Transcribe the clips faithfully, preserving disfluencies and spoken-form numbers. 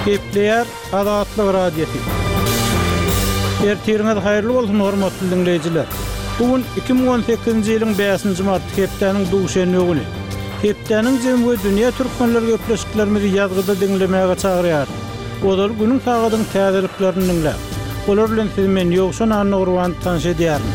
Gepleýär Azatlyk Radiosy. Ertiriňiz haýyrly bolsun, hormatly diňleýjiler. Bu gün iki müň on sekizinji ýylyň bäşinji marty, hepdäniň duşenbe güni. Hepdäniň jemi we dünýä türkmenleri gepleşiklerimizi ýazgyda diňlemäge çagyrýar. Ozal günüň sagadyň täzeliklerini diňläp. Olar bilen sizi men Ýowşan Annagurban tanyş edýärin.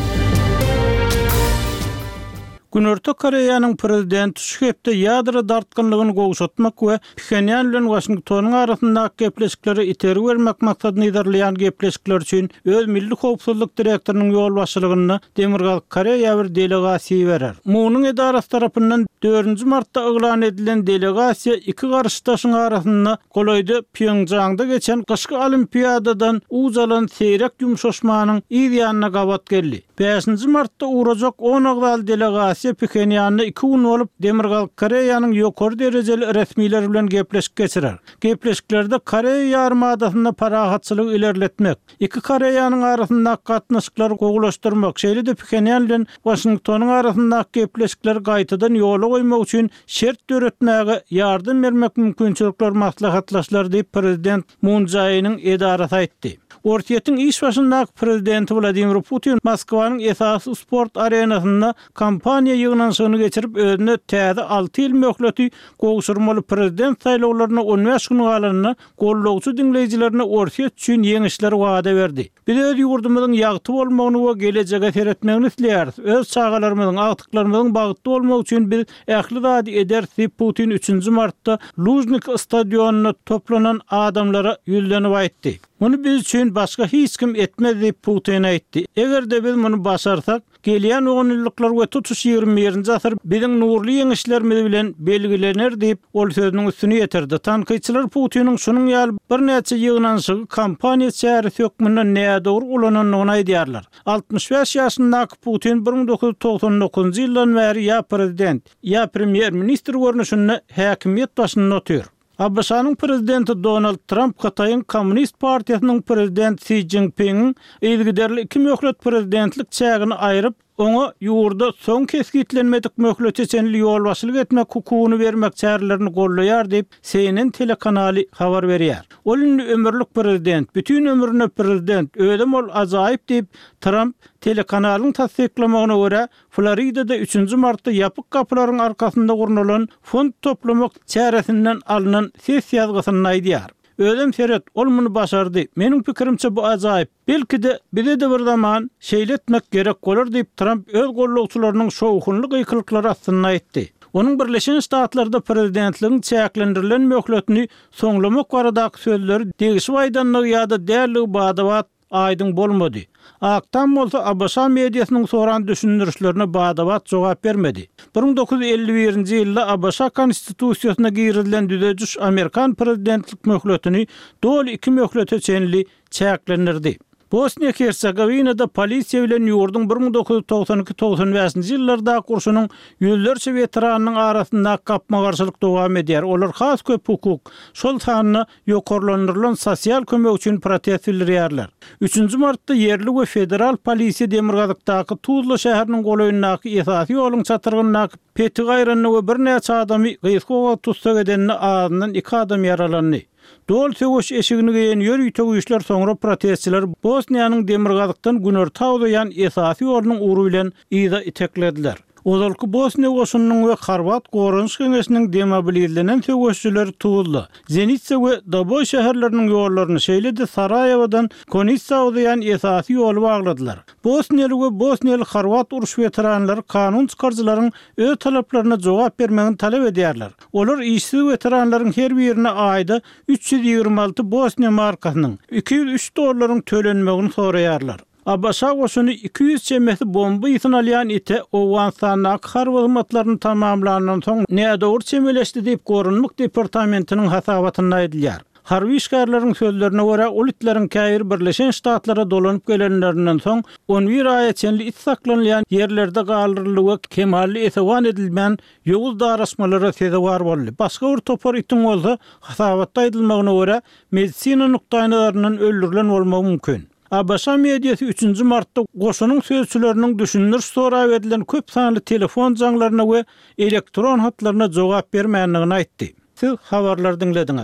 Günorta Koreýanyň prezidenti şu hepde ýadro dartgynlygyny gowşatmak we Phenýan bilen Waşingtonyň arasyndaky gepleşikleri iteri bermek maksadyny yzarlaýan gepleşikler üçin öz milli howpsuzlyk direktorynyň ýolbaşçylygynda Demirgazyk Koreýa bir delegasiýa berer. Munuň edarasy tarapyndan dördünji martda yglan edilen delegasiýa iki garşydaşyň arasynda golaýda Pýongjangda geçen gyşky olimpiadadan uç alan seýrek ýumşaşmanyň yz ýanyna gabat geldi. Bäşinji martda uğrajak on agzaly delegasiýa Phenýanda iki gün bolup Demirgazyk Koreýanyň ýokary derejeli resmiler bilen gepleşik geçirer. Gepleşiklerde Koreýa ýarymadasynda parahatçylygy ilerletmek, iki Koreýanyň arasyndaky gatnaşyklary gowulaşdyrmak, şeýle-de Phenýan bilen Waşingtonyň arasyndaky gepleşikleri gaýtadan ýola goýmak üçin şert döretmäge ýardam bermek mümkinçilikler maslahatlaşlar diýip prezident Moon Jae-iniň edarasy aýtdy. Orsýetiň iş başyndaky prezidenti Wladimir Putin Moskwanyň esasy sport arenasynda kampaniýa ýygnanyşygyny geçirip özüne täze alty ýyl möhleti gowşurmaly prezident saýlawlaryna on bäş gün galanyna gollagçy diňleýjilerine Orsýet üçin ýeňişler wada berdi. Biz öz ýurdumyzyň ýagty bolmagyny we gelejege seretmegini isleýäris. Öz çagalarymyzyň, agtyklarymyzyň bagtly bolmagy üçin biz ähli zady ederis diýip Putin üçünji martda Lujnik stadionynda toplanan adamlara ýüzlenip aýtdy. Muny biz üçin başga hiç kim etmez diýip Putin aýtdy. Eger-de biz muny başarsak, gelýän on ýyllyklar we tutuş ýigrimi birinji asyr biziň nurly ýeňişlerimiz bilen belgilener diýip ol sözüniň üstüni ýetirdi. Tankytçylar Putiniň şunuň ýaly birnäçe ýygnanyşygy kampaniýa çäresi hökmünde nädogry ulanandygyny aýdýarlar. Altmyş bäş ýaşyndaky Putin bir müň dokuz ýüz togsan dokuzynjy ýyldan bäri ýa prezident, ýa premýer-ministr görnüşinde häkimiýet başynda otyr. ABŞ-nyň prezidenti Donald Trump Hytaýyň Komünist partiýasynyň prezident Xi Jinpingiň yzygiderli iki möhlet prezidentlik çägini aýryp, oňa ýurda soň kesgitlenmedik möhlete çenli ýolbaşçylyk etmek hukugyny bermek çärelerini gollaýar diýip C N N telekanaly habar berýär. Ol indi ömürlik prezident, bütün ömrüne prezident, özüm ol ajaýyp diýip Trump telekanalyň tassyklamagyna görä Floridada üçünji martda ýapyk gapylaryň arkasynda gurnalan fond toplamak çäresinden alynan ses ýazgysynda aýdýar. Özüm seret, ol muny başardy. Meniň pikirimçe bu ajaýyp. Belki-de bize de bir zaman şeýle etmek gerek bolar diýip Trump öz gollagçylarynyň şowhunly gykylyklary astynda aýtdy. Onuň Birleşen Ştatlarda prezidentligiň çäklendirilen möhletini soňlamak baradaky sözleri degişip aýdandygy ýa-da dälligi bada-bat aýdyň bolmady. Ak Tam bolsa ABŞ mediasynyň soran düşündirişlerine bada-bat jogap bermedi. bir müň dokuz ýüz elli birinji ýylda ABŞ konstitusiýasyna girizilen düzediş Amerikan prezidentlik möhletini doly iki möhlete çenli çäklendirdi. Bosniýa Hersegovinada polisiýa bilen ýurduň bir müň dokuz ýüz togsan iki togsan bäşinji ýyllardaky urşunyň ýüzlerçe weteranynyň arasyndaky gapma-garşylyk dowam edýär. Olar has köp hukuk, şol sanda ýokarlandyrylan sosial kömek üçin protest bildirýärler. Üçünji martda ýerli we federal polisiýa Demirgazykdaky Tuzla şäheriniň golaýyndaky esasy ýoluň çatyrgyndaky petik aýranda we birnäçe adamy gysga wagt tussag edende azyndan iki adam ýaralandy. Dol söweş eşigini geýen ýörite güýçler soňra protestçiler Bosniýanyň Demirgazykdan günorta uzaýan esasy ýolunyň ugry bilen yza iteklediler. Ozalky Bosniýa goşunynyň we Horwat goranyş geňeşiniň demobilizlenen söweşçileri Tuzla, Zenica we Doboý şäherleriniň ýollaryny, şeýle-de Saraýewodan Konitsa uzaýan esasy ýoly bagladylar. Bosniýaly we Bosniýaly Horwat uruş weteranlary kanun çykaryjylaryň öz talaplaryna jogap bermegini talap edýärler. Olar işsiz weteranlaryň her birine aýda üç ýüz ýigrimi alty Bosniýa markasynyň iki ýüz üç dollaryň tölenmegini soraýarlar. ABŞ goşuny iki ýüz çemesi bomba ýysyny alýan ite Owganystandaky harby hyzmatlaryny tamamlandan soň nädogry çemeleşdi diýip Goranmak departamentiniň hasabatynda aýdylýar. Harby işgärleriň sözlerine görä ol itleriň käbiri Birleşen Ştatlara dolanyp gelenlerinden soň on bir aýa çenli it saklanylýan ýerlerde galdyryldy we kemally esewan edilmän ýowuz daraşmalara sezewar boldy. Başga bir topar itiň bolsa hasabatda aýdylmagyna görä medisina nukdaýnazaryndan öldürilen bolmagy mümkin. ABŞ mediasy üçünji martda goşunyň sözçüleriniň düşündiriş sorap edilen köp sanly telefon jaňlaryna we elektron hatlaryna jogap bermändigini aýtdy. Siz habarlar diňlediňiz.